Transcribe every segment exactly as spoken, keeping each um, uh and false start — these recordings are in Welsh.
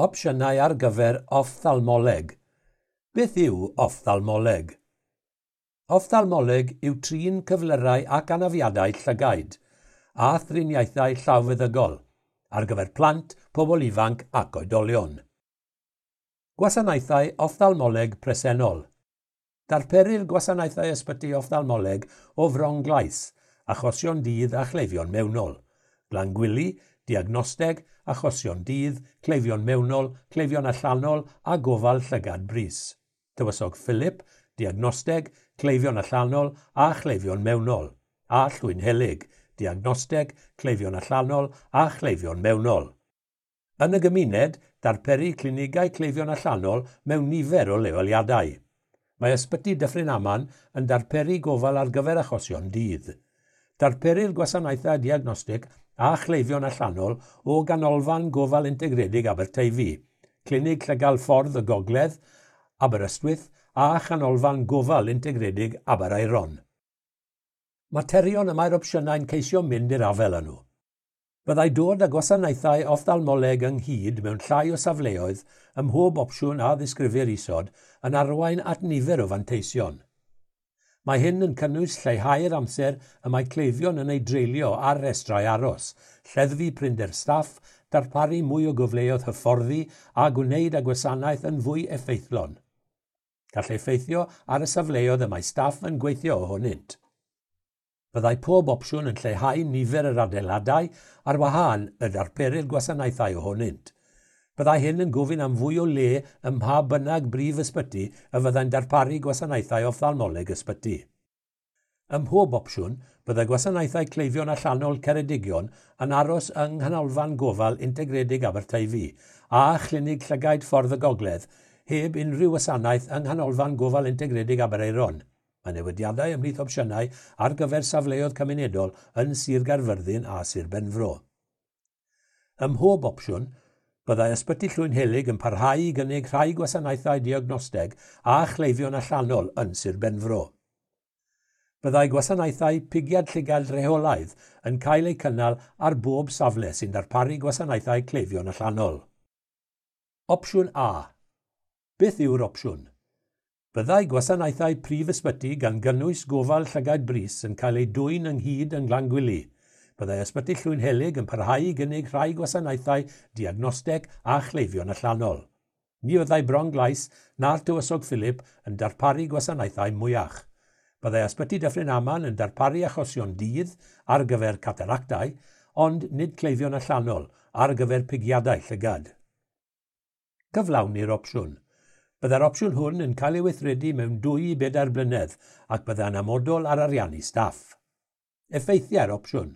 Opsiynau ar gyfer offthalmoleg. Beth yw offthalmoleg? Offthalmoleg yw trin cyflyrau ac anafiadau llygaid a thriniaethau llawfeddygol ar gyfer plant, pobl ifanc ac oedolion. Gwasanaethau offthalmoleg presennol. Darperir gwasanaethau ysbyty offthalmoleg o Fronglais, achosion dydd a chleifion mewnol, Glangwili, diagnosteg, achosion dydd, cleifion mewnol, cleifion allanol a gofal llygad brys. Tywysog Philip, diagnosteg, cleifion allanol a chleifion mewnol, a Llwynhelyg, diagnosteg, cleifion allanol a chleifion mewnol. Yn y gymuned, darperir clinigau cleifion allanol mewn nifer o leoliadau. Mae Ysbyty Dyffryn Aman yn darparu gofal ar gyfer achosion dydd. Darperir gwasanaethau diagnostig a chleifion allanol o Ganolfan Gofal Integredig Aberteifi, Clinig Llygad Ffordd y Gogledd, Aberystwyth a Chanolfan Gofal Integredig Aberaeron. Materion y mae'r opsiynau'n ceisio mynd i'r afael â nhw. Byddai dod â gwasanaethau offthalmoleg ynghyd mewn llai o safleoedd ym mhob opsiwn a ddisgrifir isod yn arwain at nifer o fanteision. Mae hyn yn cynnwys lleihau'r amser y mae cleifion yn ei dreulio ar restrau aros, lleddfu prinder staff, darparu mwy o gyfleoedd hyfforddi a gwneud y gwasanaeth yn fwy effeithlon. Gall effeithio ar y safleoedd y mae staff yn gweithio ohonynt. Byddai pob opsiwn yn lleihau nifer yr adeiladau ar wahân y darperir gwasanaethau ohonynt. Byddai hyn yn gofyn am fwy o le ym mha bynnag brif ysbyty y fyddai'n darparu gwasanaethau offthalmoleg ysbyty. Ym mhob opsiwn, byddai gwasanaethau cleifion allanol Ceredigion yn aros yng Nghanolfan Gofal Integredig Aberteifi a Chlinig Llygaid Ffordd y Gogledd heb unrhyw wasanaeth yng Nghanolfan Gofal Integredig Aberaeron. Mae newidiadau ymhlith opsiynau ar gyfer safleoedd cymunedol yn Sir Gaerfyrddin a Sir Benfro. Ym mhob opsiwn, byddai Ysbyty Llwynhelyg yn parhau i gynnig rhai gwasanaethau diagnosteg a chleifion allanol yn Sir Benfro. Byddai gwasanaethau pigiad llygad rheolaidd yn cael eu cynnal ar bob safle sy'n darparu gwasanaethau cleifion allanol. Opsiwn A. Beth yw'r opsiwn? Byddai gwasanaethau prif ysbyty gan gynnwys gofal llygaid brys yn cael eu dwyn ynghyd yng Nglangwili. Byddai Ysbyty Llwynhelyg yn parhau i gynnig rhai gwasanaethau diagnosteg a chleifion allanol. Ni fyddai Bronglais na'r Tywysog Philip yn darparu gwasanaethau mwyach. Byddai Ysbyty Dyffryn Aman yn darparu achosion dydd ar gyfer cataractau, ond nid cleifion allanol ar gyfer pigiadau llygad. Cyflawni'r opsiwn. Byddai'r opsiwn hwn yn cael ei weithredu mewn dwy i bedair blynedd ac byddai'n amodol ar ariannu staff. Effeithiau'r opsiwn.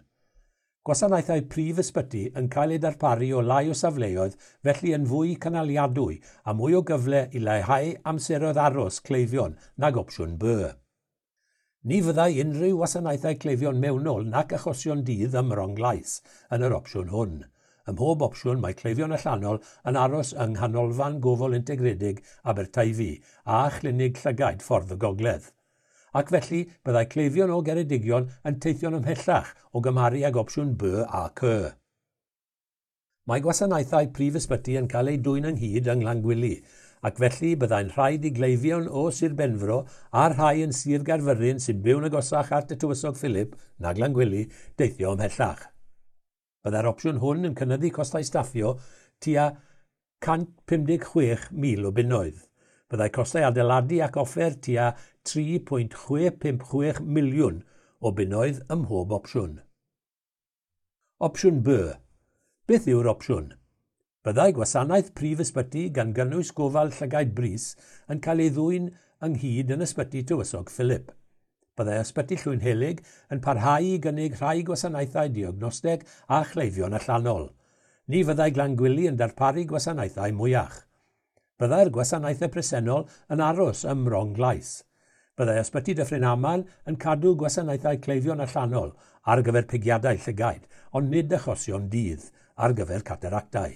Gwasanaethau prif ysbyty yn cael eu darparu o lai o safleoedd, felly yn fwy cynaliadwy a mwy o gyfle i leihau amseroedd aros cleifion nag opsiwn B. Ni fyddai unrhyw wasanaethau cleifion mewnol nac achosion dydd ym Mronglais yn yr opsiwn hwn. Ym mhob opsiwn mae cleifion allanol yn aros yng Nghanolfan Gofal Integredig Aberteifi a Chlinig Llygaid Ffordd y Gogledd. Ac felly byddai cleifion o Geredigion yn teithio'n ymhellach o gymharu ag opsiwn B a C. Mae gwasanaethau prif ysbyty yn cael eu dwyn ynghyd yng Nglangwili, ac felly byddai'n rhaid i gleifion o Sir Benfro a'r rhai yn Sir Gaerfyrddin sy'n byw'n agosach at y Tywysog Philip na Glangwili deithio ymhellach. Byddai'r opsiwn hwn yn cynyddu costau staffio tua cant pum deg chwech mil o bunnoedd. Byddai costau adeiladu ac offer tua tri pwynt chwe pump chwech miliwn o bunnoedd ym mhob opsiwn. Opsiwn B. Beth yw'r opsiwn? Byddai gwasanaeth prif ysbyty gan gynnwys gofal llygaid brys yn cael ei ddwyn ynghyd yn Ysbyty Tywysog Philip. Byddai Ysbyty Llwynhelyg yn parhau i gynnig rhai gwasanaethau diagnosteg a chleifion allanol. Ni fyddai Glangwili yn darparu gwasanaethau mwyach. Byddai'r gwasanaethau presennol yn aros ym Mronglais. Byddai Ysbyty Dyffryn Aman yn cadw gwasanaethau cleifion allanol ar gyfer pigiadau llygaid, ond nid achosion dydd ar gyfer cataractau.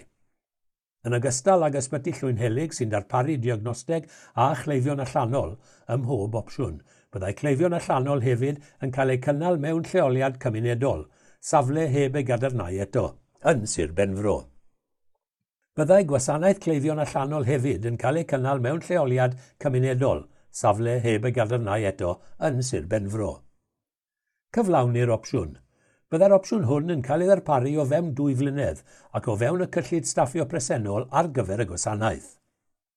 Yn ogystal ag Ysbyty Llwynhelyg sy'n darparu diagnosteg a chleifion allanol ym mhob opsiwn, byddai cleifion allanol hefyd yn cael eu cynnal mewn lleoliad cymunedol, safle heb ei gadarnhau eto, yn Sir Benfro. Byddai gwasanaeth cleifion allanol hefyd yn cael ei cynnal mewn lleoliad cymunedol, safle heb ei gadarnhau eto, yn Sir Benfro. Cyflawni'r opsiwn. Byddai'r opsiwn hwn yn cael ei ddarparu o fewn dwy flynedd ac o fewn y cyllid staffio presennol ar gyfer y gwasanaeth.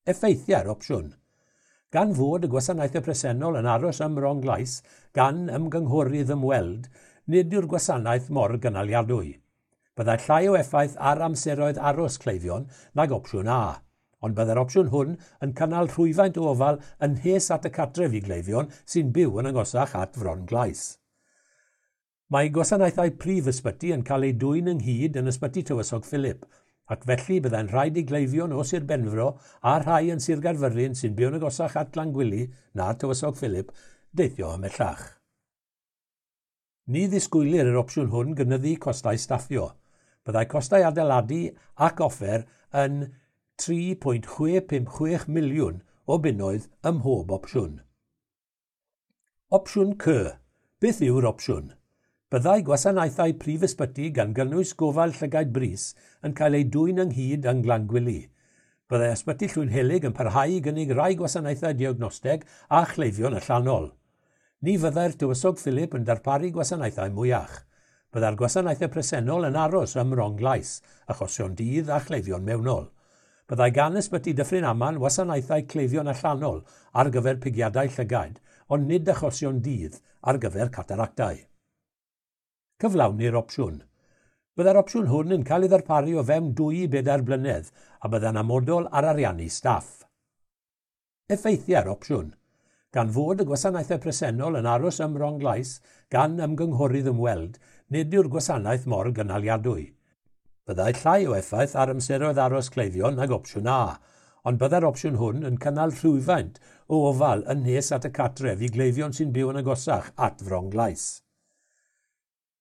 Effeithiau'r opsiwn. Gan fod y gwasanaethau presennol yn aros ym Mronglais gan ymgynghorydd ymweld, nid yw'r gwasanaeth mor gynaliadwy. Byddai llai o effaith ar amseroedd aros cleifion nag opsiwn A, ond byddai'r opsiwn hwn yn cynnal rhwyfaint o ofal yn nes at y cartref i gleifion sy'n byw yn agosach at Fron-glais. Mae gwasanaethau prif ysbyty yn cael eu dwyn ynghyd yn Ysbyty Tywysog Philip, ac felly byddai'n rhaid i gleifion o Sir Benfro a rhai yn Sir Gaerfyrddin sy'n byw'n agosach at Glangwili na Tywysog Philip deithio ymhellach. Ni ddisgwylir yr opsiwn hwn gynyddu costau staffio. Byddai costau adeiladu ac offer yn tri pwynt chwe pump chwech miliwn o bunnoedd ym mhob opsiwn. Opsiwn C. Beth yw'r opsiwn? Byddai gwasanaethau prif ysbyty gan gynnwys gofal llygaid brys yn cael eu dwyn ynghyd yng Nglangwili. Byddai Ysbyty Llwynhelyg yn parhau i gynnig rai gwasanaethau diagnosteg a chleifion allanol. Ni fyddai'r Tywysog Philip yn darparu gwasanaethau mwyach. Byddai'r gwasanaethau presennol yn aros ym Mronglais, achosion dydd a chleifion mewnol. Byddai gan Ysbyty Dyffryn Aman wasanaethau cleifion allanol ar gyfer pigiadau llygaid, ond nid achosion dydd ar gyfer cataractau. Cyflawni'r opsiwn. Byddai'r opsiwn hwn yn cael ei ddarparu o fewn dwy i bedair blynedd a byddai'n amodol ar ariannu staff. Effeithiau'r opsiwn. Gan fod y gwasanaethau presennol yn aros ym Mronglais gan ymgynghorydd ymweld, nid yw'r gwasanaeth mor gynaliadwy. Byddai llai o effaith ar amseroedd aros cleifion nag opsiwn A, ond byddai'r opsiwn hwn yn cynnal rhywfaint o ofal yn nes at y cartref i gleifion sy'n byw yn agosach at Fronglais.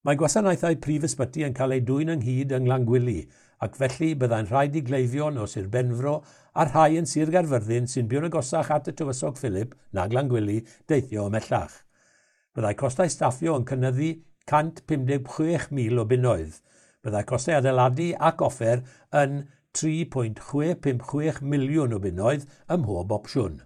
Mae gwasanaethau prif ysbyty yn cael eu dwyn ynghyd yng Nglangwili, ac felly byddai'n rhaid i gleifion o Sir Benfro a rhai yn Sir Gaerfyrddin sy'n byw'n agosach at y Tywysog Philip na Glangwili deithio ymhellach. Byddai costau staffio yn cynyddu cant pum deg chwech mil o bunnoedd. Byddai costau adeiladu ac offer yn tri pwynt chwe pump chwech miliwn o bunnoedd ym mhob opsiwn.